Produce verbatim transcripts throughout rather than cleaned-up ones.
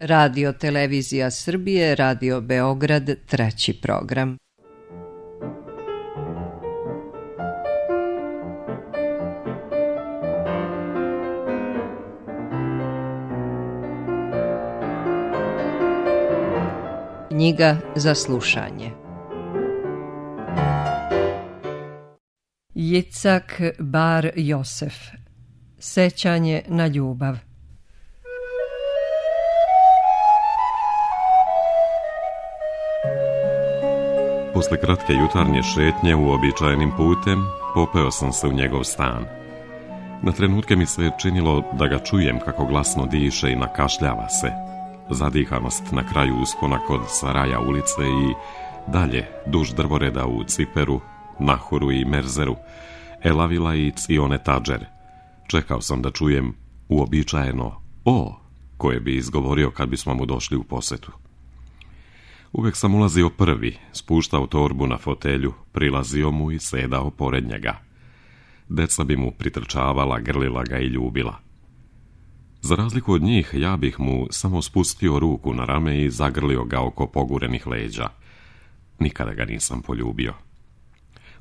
Radio Televizija Srbije, Radio Beograd, treći program. Knjiga za slušanje. Jicak Bar Josef. Sećanje na ljubav. Posle kratke jutarnje šetnje uobičajenim putem, popeo sam se u njegov stan. Na trenutke mi se činilo da ga čujem kako glasno diše i nakašljava se. Zadihanost na kraju uspona kod Saraja ulice i dalje duž drvoreda u Ciperu, Nahuru i Merzeru, Elavila i Cione Tadžer. Čekao sam da čujem uobičajeno o koje bi izgovorio kad bismo mu došli u posetu. Uvek sam ulazio prvi, spuštao torbu na fotelju, prilazio mu i sedao pored njega. Deca bi mu pritrčavala, grlila ga i ljubila. Za razliku od njih, ja bih mu samo spustio ruku na rame i zagrlio ga oko pogurenih leđa. Nikada ga nisam poljubio.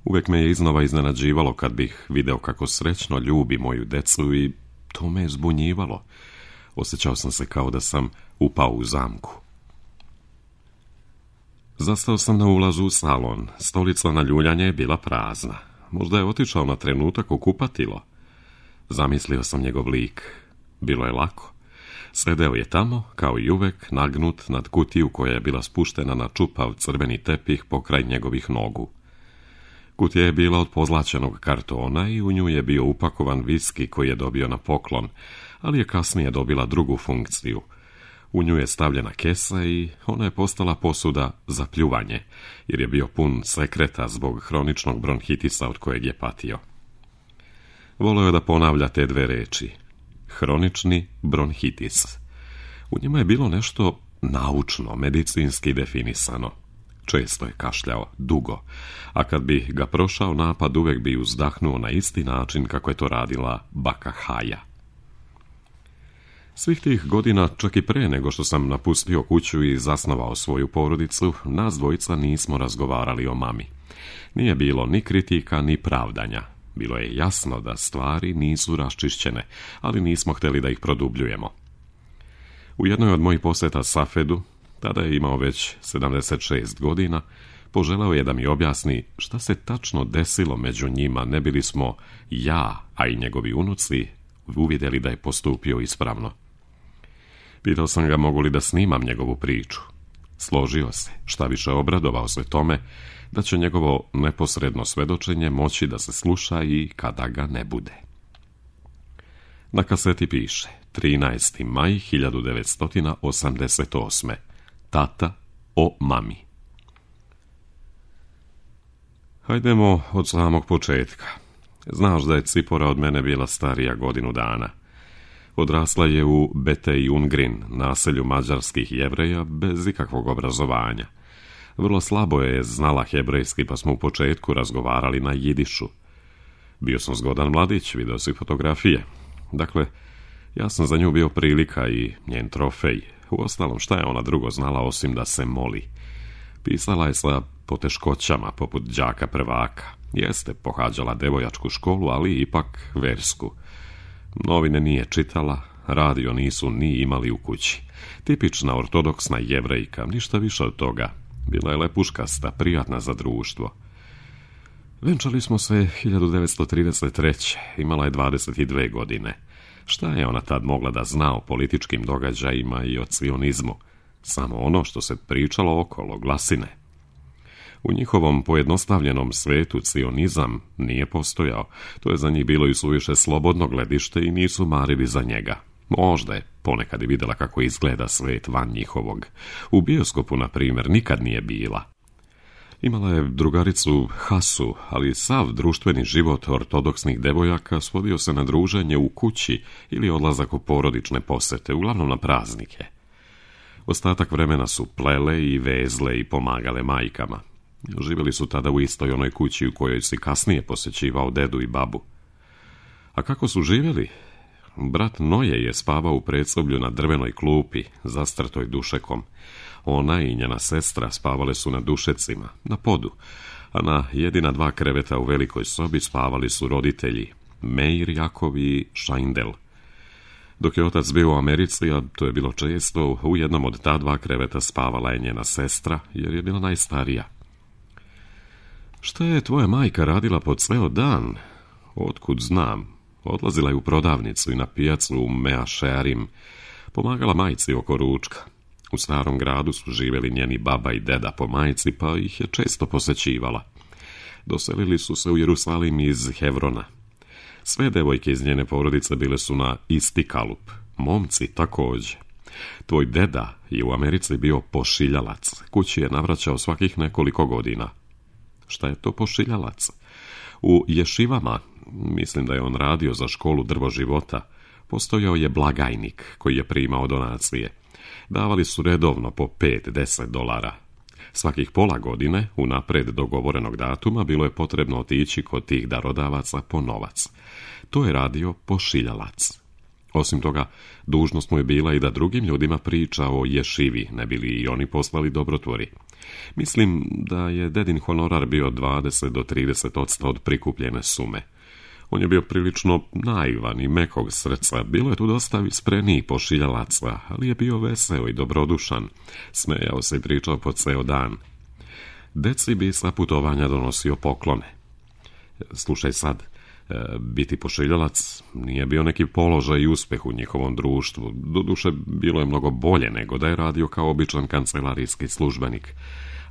Uvek me je iznova iznenađivalo kad bih video kako srećno ljubi moju decu i to me je zbunjivalo. Osjećao sam se kao da sam upao u zamku. Zastao sam na ulazu u salon. Stolica na ljuljanje je bila prazna. Možda je otišao na trenutak u kupatilo. Zamislio sam njegov lik. Bilo je lako. Sedeo je tamo, kao i uvek, nagnut nad kutiju koja je bila spuštena na čupav crveni tepih pokraj njegovih nogu. Kutija je bila od pozlaćenog kartona i u nju je bio upakovan viski koji je dobio na poklon, ali je kasnije dobila drugu funkciju. U nju je stavljena kesa i ona je postala posuda za pljuvanje, jer je bio pun sekreta zbog hroničnog bronhitisa od kojeg je patio. Voleo je da ponavlja te dve reči. Hronični bronhitis. U njima je bilo nešto naučno, medicinski definisano. Često je kašljao, dugo, a kad bi ga prošao napad uvek bi uzdahnuo na isti način kako je to radila baka Haja. Svih tih godina, čak i pre nego što sam napustio kuću i zasnovao svoju porodicu, nas dvojica nismo razgovarali o mami. Nije bilo ni kritika, ni pravdanja. Bilo je jasno da stvari nisu raščišćene, ali nismo hteli da ih produbljujemo. U jednoj od mojih poseta Safedu, tada je imao već sedamdeset šest godina, poželeo je da mi objasni šta se tačno desilo među njima, ne bili smo ja, a i njegovi unuci, uvidjeli da je postupio ispravno. Pitao sam ga mogu li da snimam njegovu priču. Složio se, šta više obradovao se tome, da će njegovo neposredno svedočenje moći da se sluša i kada ga ne bude. Na kaseti piše trinaesti maj hiljadu devetsto osamdeset osme. Tata o mami. Hajdemo od samog početka. Znaš da je Cipora od mene bila starija godinu dana. Odrasla je u Betej Ungrin, naselju mađarskih Jevreja, bez ikakvog obrazovanja. Vrlo slabo je znala hebrejski, pa smo u početku razgovarali na jidišu. Bio sam zgodan mladić, video si fotografije. Dakle, ja sam za nju bio prilika i njen trofej. Uostalom, šta je ona drugo znala osim da se moli? Pisala je sa poteškoćama, poput đaka prvaka. Jeste pohađala devojačku školu, ali ipak versku. Novine nije čitala, radio nisu ni imali u kući. Tipična ortodoksna Jevrejka, ništa više od toga. Bila je lepuškasta, prijatna za društvo. Venčali smo se hiljadu devetsto trideset treće. Imala je dvadeset dve godine. Šta je ona tad mogla da zna o političkim događajima i o cionizmu? Samo ono što se pričalo okolo, glasine. U njihovom pojednostavljenom svetu cionizam nije postojao. To je za njih bilo i suviše slobodno gledište i nisu marili za njega. Možda je ponekad i vidjela kako izgleda svet van njihovog. U bioskopu, na primjer, nikad nije bila. Imala je drugaricu Hasu, ali sav društveni život ortodoksnih devojaka svodio se na druženje u kući ili odlazak u porodične posete, uglavnom na praznike. Ostatak vremena su plele i vezle i pomagale majkama. Živjeli su tada u istoj onoj kući u kojoj si kasnije posjećivao dedu i babu. A kako su živjeli? Brat Noje je spavao u predsoblju na drvenoj klupi, zastrtoj dušekom. Ona i njena sestra spavale su na dušecima, na podu, a na jedina dva kreveta u velikoj sobi spavali su roditelji, Meir Jakov i Šajndel. Dok je otac bio u Americi, a to je bilo često, u jednom od ta dva kreveta spavala je njena sestra, jer je bila najstarija. Šta je tvoja majka radila po ceo dan? Otkud znam? Odlazila je u prodavnicu i na pijacu u Mea Shearim, pomagala majci oko ručka. U starom gradu su živjeli njeni baba i deda po majci, pa ih je često posećivala. Doselili su se u Jerusalim iz Hevrona. Sve devojke iz njene porodice bile su na isti kalup, momci također. Tvoj deda je u Americi bio pošiljalac, kući je navraćao svakih nekoliko godina. Šta je to pošiljalac? U ješivama, mislim da je on radio za školu Drvo života, postojao je blagajnik koji je primao donacije. Davali su redovno po pet do deset dolara. Svakih pola godine, unapred dogovorenog datuma, bilo je potrebno otići kod tih darodavaca po novac. To je radio pošiljalac. Osim toga, dužnost mu je bila i da drugim ljudima priča o ješivi, ne bili i oni poslali dobrotvori. Mislim da je dedin honorar bio dvadeset do trideset odsto od prikupljene sume. On je bio prilično naivan i mekog srca, bilo je tu dosta isprenijih pošiljalaca, ali je bio veseo i dobrodušan. Smejao se i pričao po ceo dan. Deci bi sa putovanja donosio poklone. Slušaj sad, biti pošiljalac nije bio neki položaj i uspeh u njihovom društvu. Doduše, bilo je mnogo bolje nego da je radio kao običan kancelarijski službenik.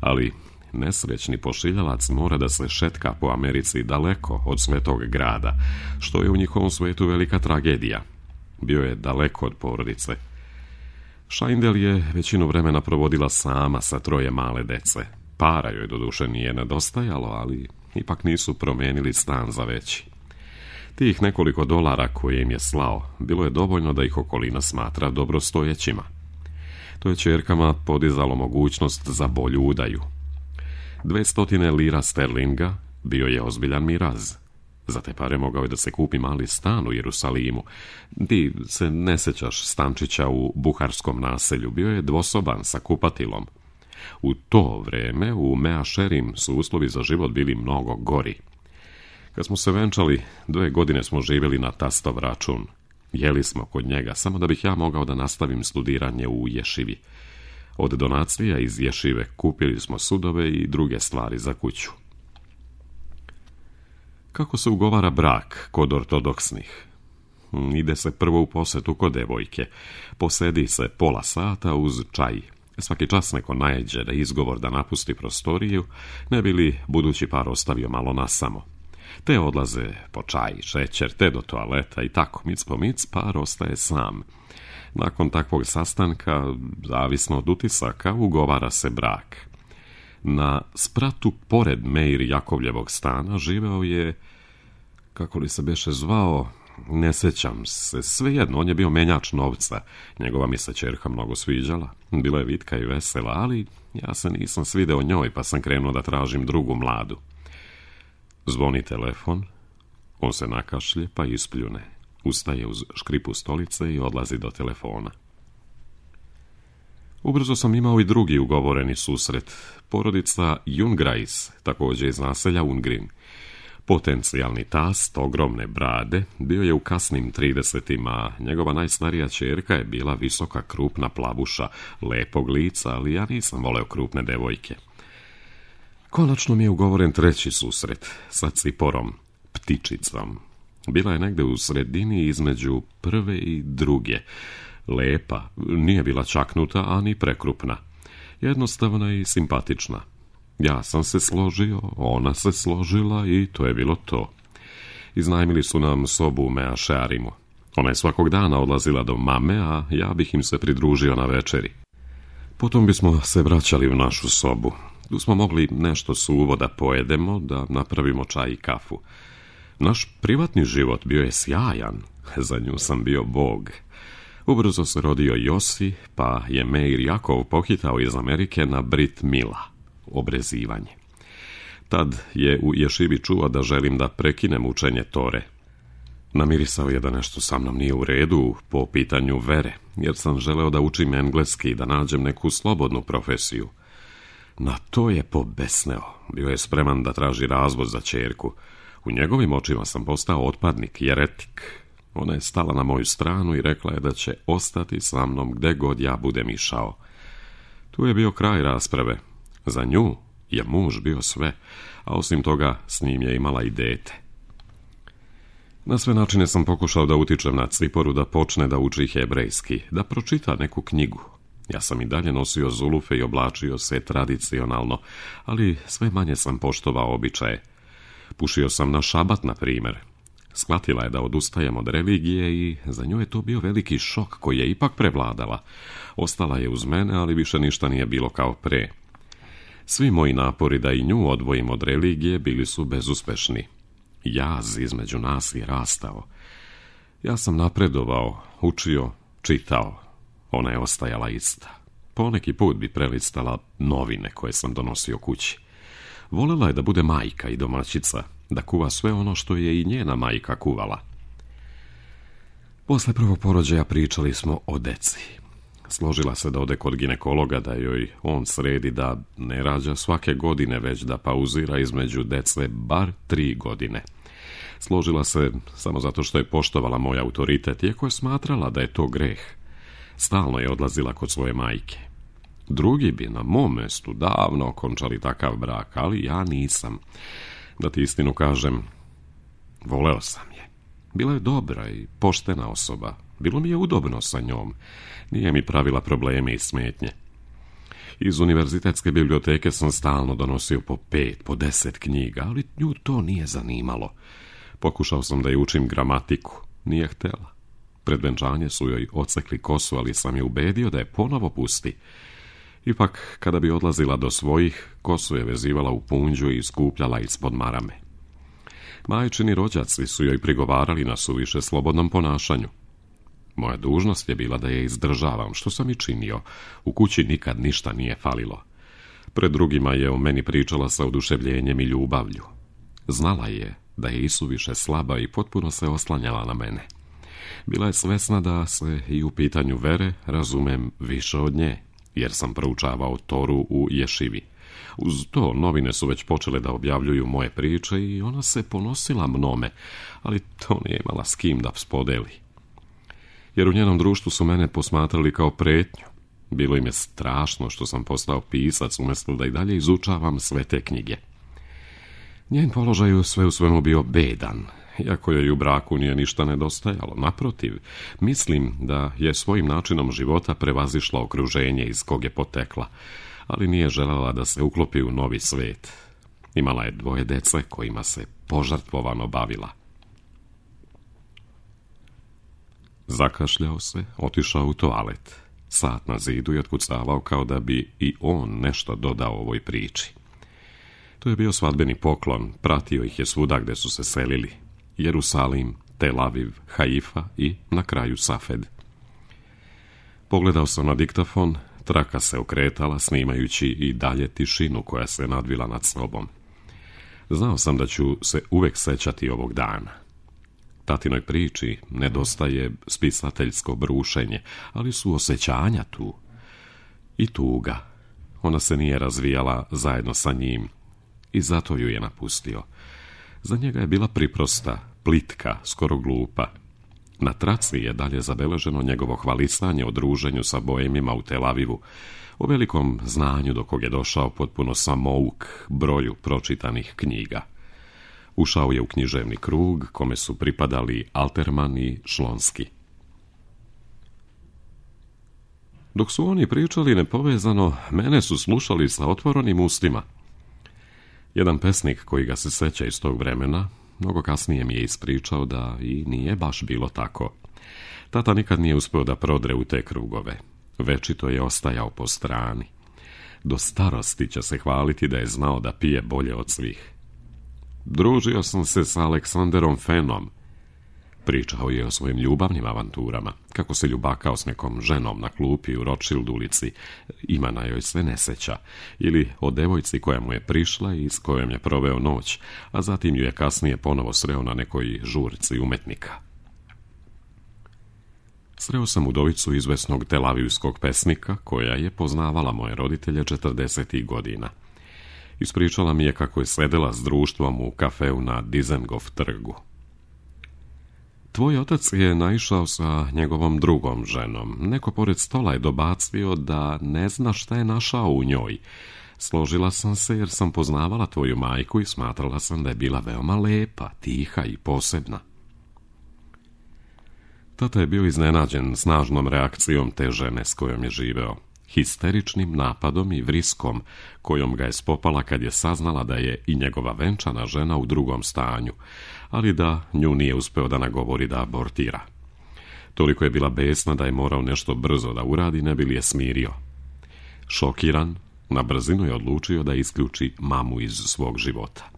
Ali nesrećni pošiljalac mora da se šetka po Americi daleko od svetog grada, što je u njihovom svetu velika tragedija. Bio je daleko od porodice. Šajndel je većinu vremena provodila sama sa troje male dece. Para joj doduše nije nedostajalo, ali ipak nisu promenili stan za veći. Tih nekoliko dolara koje im je slao, bilo je dovoljno da ih okolina smatra dobrostojećima. To je ćerkama podizalo mogućnost za bolju udaju. Dvestotine lira sterlinga bio je ozbiljan miraz. Za te pare mogao je da se kupi mali stan u Jerusalimu. Ti se ne sećaš stančića u buharskom naselju, bio je dvosoban sa kupatilom. U to vreme u Mea Shearim su uslovi za život bili mnogo gori. Kad smo se venčali, dve godine smo živjeli na tastov račun. Jeli smo kod njega, samo da bih ja mogao da nastavim studiranje u ješivi. Od donacija iz ješive kupili smo sudove i druge stvari za kuću. Kako se ugovara brak kod ortodoksnih? Ide se prvo u posetu kod devojke. Posedi se pola sata uz čaj. Svaki čas neko najeđe da izgovor da napusti prostoriju, ne bi li budući par ostavio malo nasamo. Te odlaze po čaj, šećer, te do toaleta i tako, mic po mic, par ostaje sam. Nakon takvog sastanka, zavisno od utisaka, ugovara se brak. Na spratu pored Meir Jakovljevog stana živeo je, kako li se beše zvao, ne sećam se, svejedno, on je bio menjač novca. Njegova mi se ćerka mnogo sviđala, bila je vitka i vesela, ali ja se nisam svideo njoj, pa sam krenuo da tražim drugu mladu. Zvoni telefon, on se nakašlje pa ispljune. Ustaje uz škripu stolice i odlazi do telefona. Ubrzo sam imao i drugi ugovoreni susret. Porodica Jungrais, također iz naselja Ungrin. Potencijalni tast, ogromne brade, bio je u kasnim tridesetima. Njegova najstarija ćerka je bila visoka, krupna plavuša, lepog lica, ali ja nisam voleo krupne devojke. Konačno mi je ugovoren treći susret sa ciporom, ptičicom. Bila je negde u sredini između prve i druge. Lepa, nije bila čaknuta, ani prekrupna. Jednostavna i simpatična. Ja sam se složio, ona se složila i to je bilo to. Iznajmili su nam sobu u Mea Shearimu. Ona je svakog dana odlazila do mame, a ja bih im se pridružio na večeri. Potom bismo se vraćali u našu sobu. Tu smo mogli nešto suvo da pojedemo, da napravimo čaj i kafu. Naš privatni život bio je sjajan, za nju sam bio bog. Ubrzo se rodio Josi, pa je Meir Jakov pohitao iz Amerike na Brit Mila, obrezivanje. Tad je u ješivi čuo da želim da prekinem učenje Tore. Namirisao je da nešto sa mnom nije u redu po pitanju vere, jer sam želeo da učim engleski i da nađem neku slobodnu profesiju. Na to je pobesneo. Bio je spreman da traži razvod za ćerku. U njegovim očima sam postao otpadnik, jeretik. Ona je stala na moju stranu i rekla je da će ostati sa mnom gde god ja budem išao. Tu je bio kraj rasprave. Za nju je muž bio sve, a osim toga s njim je imala i dete. Na sve načine sam pokušao da utičem na Ciporu da počne da uči hebrejski, da pročita neku knjigu. Ja sam i dalje nosio zulufe i oblačio se tradicionalno, ali sve manje sam poštovao običaje. Pušio sam na šabat, na primjer. Shvatila je da odustajem od religije i za nju je to bio veliki šok koji je ipak prevladala. Ostala je uz mene, ali više ništa nije bilo kao pre. Svi moji napori da i nju odvojim od religije bili su bezuspešni. Jaz između nas je rastao. Ja sam napredovao, učio, čitao. Ona je ostajala ista. Poneki put bi prelistala novine koje sam donosio kući. Volela je da bude majka i domaćica, da kuva sve ono što je i njena majka kuvala. Posle prvog porođaja pričali smo o deci. Složila se da ode kod ginekologa, da joj on sredi da ne rađa svake godine, već da pauzira između dece bar tri godine. Složila se samo zato što je poštovala moj autoritet, iako je smatrala da je to greh. Stalno je odlazila kod svoje majke. Drugi bi na mom mestu davno okončali takav brak, ali ja nisam. Da ti istinu kažem, voleo sam je. Bila je dobra i poštena osoba. Bilo mi je udobno sa njom. Nije mi pravila probleme i smetnje. Iz univerzitetske biblioteke sam stalno donosio po pet, po deset knjiga, ali nju to nije zanimalo. Pokušao sam da je učim gramatiku. Nije htela. Pred venčanje su joj ocekli kosu, ali sam je ubedio da je ponovo pusti. Ipak, kada bi odlazila do svojih, kosu je vezivala u punđu i skupljala ispod marame. Majčini rođaci su joj prigovarali na suviše slobodnom ponašanju. Moja dužnost je bila da je izdržavam, što sam i činio. U kući nikad ništa nije falilo. Pred drugima je o meni pričala sa oduševljenjem i ljubavlju. Znala je da je isuviše slaba i potpuno se oslanjala na mene. Bila je svesna da se i u pitanju vere razumem više od nje, jer sam proučavao Toru u ješivi. Uz to novine su već počele da objavljuju moje priče i ona se ponosila mnome, ali to nije imala s kim da spodeli. Jer u njenom društvu su mene posmatrali kao pretnju. Bilo im je strašno što sam postao pisac umjesto da i dalje izučavam sve te knjige. Njen položaj u sve u svemu bio bedan, iako joj u braku nije ništa nedostajalo. Naprotiv, mislim da je svojim načinom života prevazišla okruženje iz kog je potekla, ali nije željela da se uklopi u novi svet. Imala je dvoje dece kojima se požrtvovano bavila. Zakašljao se, otišao u toalet. Sat na zidu je otkucavao kao da bi i on nešto dodao ovoj priči. To je bio svadbeni poklon, pratio ih je svuda gde su se selili. Jerusalim, Tel Aviv, Haifa i na kraju Safed. Pogledao sam na diktafon, traka se okretala snimajući i dalje tišinu koja se nadvila nad sobom. Znao sam da ću se uvek sećati ovog dana. Tatinoj priči nedostaje spisateljsko brušenje, ali su osjećanja tu. I tuga. Ona se nije razvijala zajedno sa njim i zato ju je napustio. Za njega je bila priprosta, plitka, skoro glupa. Na traci je dalje zabeleženo njegovo hvalisanje o druženju sa boemima u Tel Avivu, o velikom znanju do kog je došao potpuno samouk broju pročitanih knjiga. Ušao je u književni krug kome su pripadali Alterman i Šlonski. Dok su oni pričali nepovezano, mene su slušali sa otvorenim ustima. Jedan pesnik koji ga se seća iz tog vremena, mnogo kasnije mi je ispričao da i nije baš bilo tako. Tata nikad nije uspeo da prodre u te krugove. Večito je ostajao po strani. Do starosti će se hvaliti da je znao da pije bolje od svih. Družio sam se sa Aleksanderom Fenom. Pričao je o svojim ljubavnim avanturama, kako se ljubakao s nekom ženom na klupi u Rothschild ulici, imena joj se ne seća, ili o devojci koja mu je prišla i s kojom je proveo noć, a zatim ju je kasnije ponovo sreo na nekoj žurci umetnika. Sreo sam udovicu izvesnog telavivskog pesnika, koja je poznavala moje roditelje četrdesetih godina. Ispričala mi je kako je sedela s društvom u kafeu na Dizengoff trgu. Tvoj otac je naišao sa njegovom drugom ženom. Neko pored stola je dobacio da ne zna šta je našao u njoj. Složila sam se jer sam poznavala tvoju majku i smatrala sam da je bila veoma lepa, tiha i posebna. Tata je bio iznenađen snažnom reakcijom te žene s kojom je živeo, histeričnim napadom i vriskom kojom ga je spopala kad je saznala da je i njegova venčana žena u drugom stanju, ali da nju nije uspeo da nagovori da abortira. Toliko je bila besna da je morao nešto brzo da uradi, ne bi li je smirio. Šokiran, na brzinu je odlučio da isključi mamu iz svog života.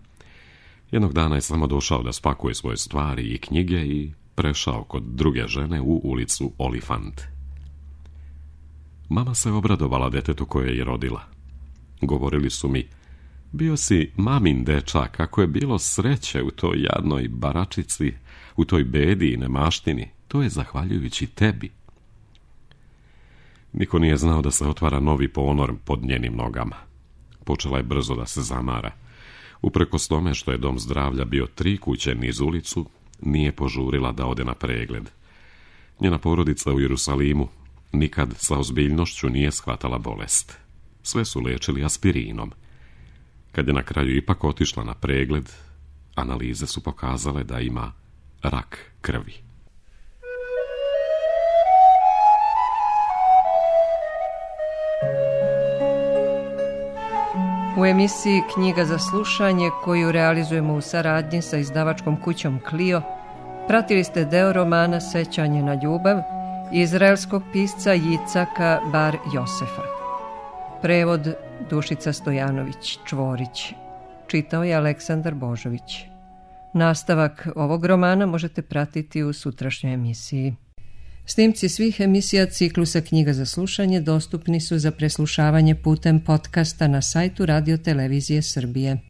Jednog dana je samo došao da spakuje svoje stvari i knjige i prešao kod druge žene u ulicu Olifant. Mama se obradovala detetu koje je rodila. Govorili su mi, bio si mamin dečak, kako je bilo sreće u toj jadnoj baračici, u toj bedi i nemaštini, to je zahvaljujući tebi. Niko nije znao da se otvara novi ponor pod njenim nogama. Počela je brzo da se zamara. Uprkos tome što je dom zdravlja bio tri kuće niz ulicu, nije požurila da ode na pregled. Njena porodica u Jerusalimu nikad sa ozbiljnošću nije shvatala bolest. Sve su liječili aspirinom. Kad je na kraju ipak otišla na pregled, analize su pokazale da ima rak krvi. U emisiji Knjiga za slušanje, koju realizujemo u saradnji sa izdavačkom kućom Clio, pratili ste deo romana Sećanje na ljubav izraelskog pisca Jicaka Bar Josefa. Prevod Dušica Stojanović Čvorić. Čitao je Aleksandar Božović. Nastavak ovog romana možete pratiti u sutrašnjoj emisiji. Snimci svih emisija ciklusa Knjiga za slušanje dostupni su za preslušavanje putem podcasta na sajtu Radio Televizije Srbije.